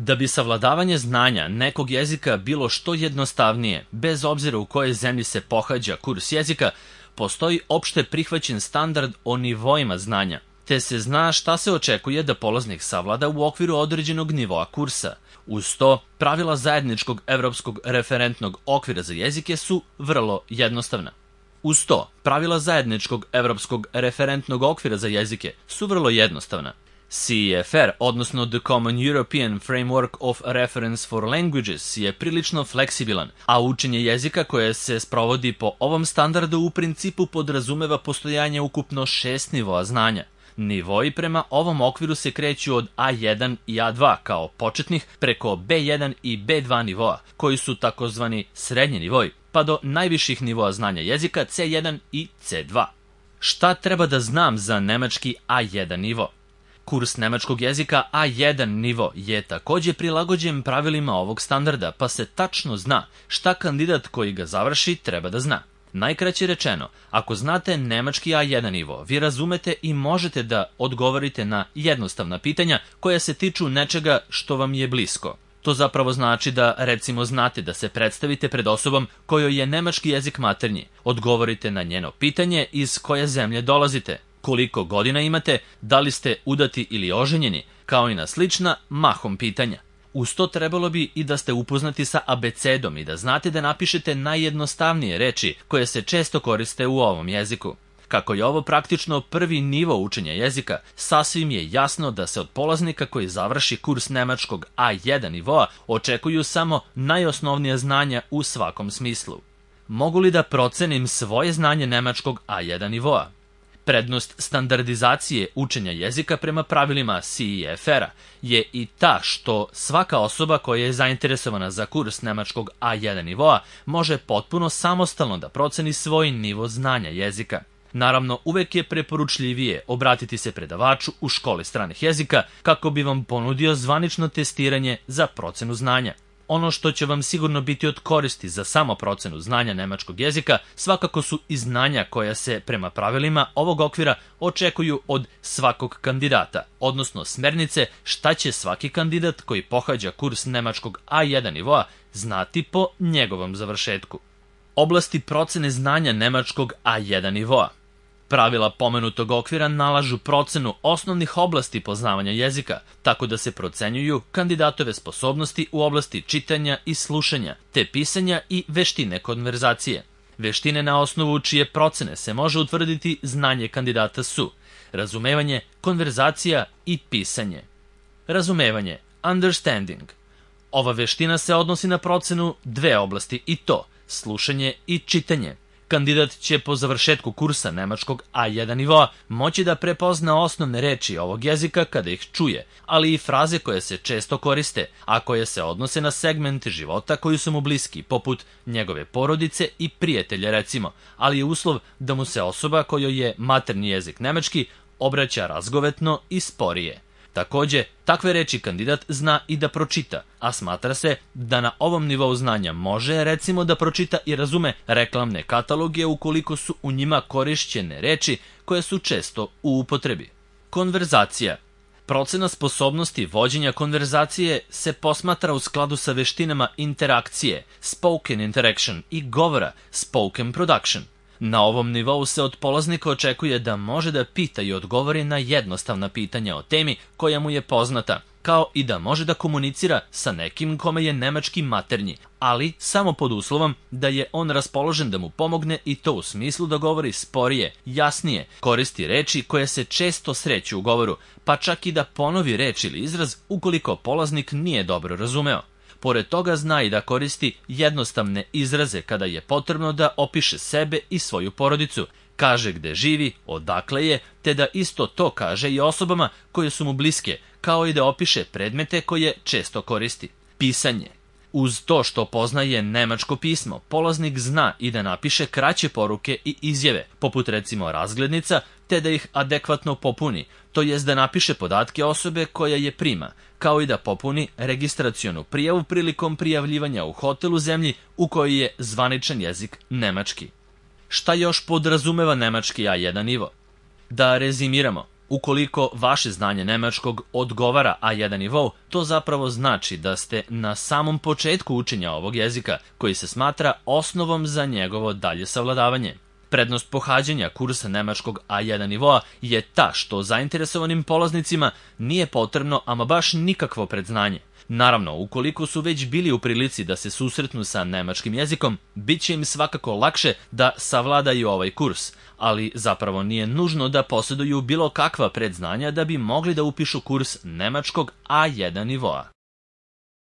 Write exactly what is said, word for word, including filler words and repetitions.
Da bi savladavanje znanja nekog jezika bilo što jednostavnije, bez obzira u kojoj zemlji se pohađa kurs jezika, postoji opšte prihvaćen standard o nivoima znanja, te se zna šta se očekuje da polaznik savlada u okviru određenog nivoa kursa. Uz to, pravila zajedničkog evropskog referentnog okvira za jezike su vrlo jednostavna. Uz to, pravila zajedničkog evropskog referentnog okvira za jezike su vrlo jednostavna. C E F R, odnosno The Common European Framework of Reference for Languages, je prilično fleksibilan, a učenje jezika koje se sprovodi po ovom standardu u principu podrazumeva postojanje ukupno šest nivoa znanja. Nivoi prema ovom okviru se kreću od A jedan i A dva kao početnih preko B jedan i B dva nivoa, koji su takozvani srednji nivoi, pa do najviših nivoa znanja jezika C jedan i C dva. Šta treba da znam za nemački A jedan nivo? Kurs nemačkog jezika A jedan nivo je takođe prilagođen pravilima ovog standarda, pa se tačno zna šta kandidat koji ga završi treba da zna. Najkraće rečeno, ako znate nemački A jedan nivo, vi razumete i možete da odgovorite na jednostavna pitanja koja se tiču nečega što vam je blisko. To zapravo znači da, recimo, znate da se predstavite pred osobom kojoj je nemački jezik maternji, odgovorite na njeno pitanje iz koje zemlje dolazite, koliko godina imate, da li ste udati ili oženjeni, kao i na slična mahom pitanja. Uz to trebalo bi i da ste upoznati sa abecedom i da znate da napišete najjednostavnije reči koje se često koriste u ovom jeziku. Kako je ovo praktično prvi nivo učenja jezika, sasvim je jasno da se od polaznika koji završi kurs nemačkog A jedan nivoa očekuju samo najosnovnija znanja u svakom smislu. Mogu li da procenim svoje znanje nemačkog A jedan nivoa? Prednost standardizacije učenja jezika prema pravilima C E F R-a je i ta što svaka osoba koja je zainteresovana za kurs nemačkog A jedan nivoa može potpuno samostalno da proceni svoj nivo znanja jezika. Naravno, uvek je preporučljivije obratiti se predavaču u školi stranih jezika kako bi vam ponudio zvanično testiranje za procenu znanja. Ono što će vam sigurno biti od koristi za samo procenu znanja nemačkog jezika svakako su i znanja koja se prema pravilima ovog okvira očekuju od svakog kandidata, odnosno smernice šta će svaki kandidat koji pohađa kurs nemačkog A jedan nivoa znati po njegovom završetku. Oblasti procene znanja nemačkog A jedan nivoa. Pravila pomenutog okvira nalažu procenu osnovnih oblasti poznavanja jezika, tako da se procenjuju kandidatove sposobnosti u oblasti čitanja i slušanja, te pisanja i veštine konverzacije. Veštine na osnovu čije procene se može utvrditi znanje kandidata su razumevanje, konverzacija i pisanje. Razumevanje, understanding. Ova veština se odnosi na procenu dve oblasti i to, slušanje i čitanje. Kandidat će po završetku kursa nemačkog A jedan nivoa moći da prepozna osnovne reči ovog jezika kada ih čuje, ali i fraze koje se često koriste, a koje se odnose na segmente života koji su mu bliski, poput njegove porodice i prijatelja recimo, ali je uslov da mu se osoba kojoj je maternji jezik nemački obraća razgovetno i sporije. Takođe, takve reči kandidat zna i da pročita, a smatra se da na ovom nivou znanja može, recimo, da pročita i razume reklamne kataloge ukoliko su u njima korišćene reči koje su često u upotrebi. Konverzacija. Procena sposobnosti vođenja konverzacije se posmatra u skladu sa veštinama interakcije, spoken interaction, i govora, spoken production. Na ovom nivou se od polaznika očekuje da može da pita i odgovori na jednostavna pitanja o temi koja mu je poznata, kao i da može da komunicira sa nekim kome je nemački maternji, ali samo pod uslovom da je on raspoložen da mu pomogne i to u smislu da govori sporije, jasnije, koristi reči koje se često sreću u govoru, pa čak i da ponovi reč ili izraz ukoliko polaznik nije dobro razumeo. Pored toga zna i da koristi jednostavne izraze kada je potrebno da opiše sebe i svoju porodicu, kaže gde živi, odakle je, te da isto to kaže i osobama koje su mu bliske, kao i da opiše predmete koje često koristi. Pisanje. Uz to što poznaje nemačko pismo, polaznik zna i da napiše kraće poruke i izjave, poput recimo razglednica, te da ih adekvatno popuni, to jest da napiše podatke osobe koja je prima, kao i da popuni registracionu prijavu prilikom prijavljivanja u hotel u zemlji u kojoj je zvaničan jezik nemački. Šta još podrazumeva nemački A jedan nivo? Da rezimiramo. Ukoliko vaše znanje nemačkog odgovara A jedan nivou, to zapravo znači da ste na samom početku učenja ovog jezika, koji se smatra osnovom za njegovo dalje savladavanje. Prednost pohađanja kursa nemačkog A jedan nivoa je ta što zainteresovanim polaznicima nije potrebno ama baš nikakvo predznanje. Naravno, ukoliko su već bili u prilici da se susretnu sa nemačkim jezikom, bit će im svakako lakše da savladaju ovaj kurs, ali zapravo nije nužno da posjeduju bilo kakva predznanja da bi mogli da upišu kurs nemačkog A jedan nivoa.